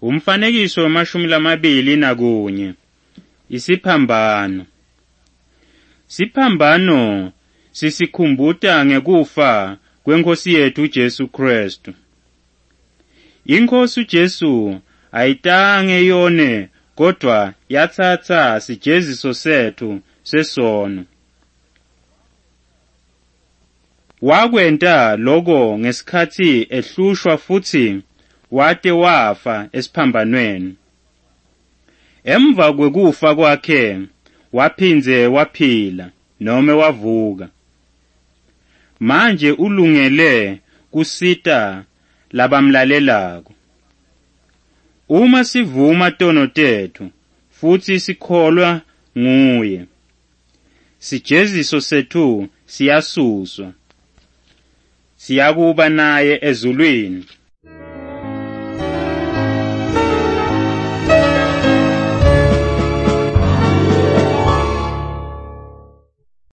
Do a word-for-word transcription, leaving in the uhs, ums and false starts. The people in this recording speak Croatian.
Umfanekiso wamashumi lamabili nakunye. Isiphambano. Siphambano sisikhumbuta ngekufa kwenkosi yethu Jesu Kristu. Inkosi uJesu ayitange yone kodwa yatsatsa sijeziso sethu sesono. Wakwenta lokho ngesikhathi ehlushwa futhi wate wafa esiphambanweni. Emva kwekufa kwakhe waphinze waphila noma wavuka. Manje ulungele kusita labamlalelako. Uma sivuma tono tethu futhi sikholwa nguye, sijeziso sethu siyasuswa, siyakuba naye ezulwini.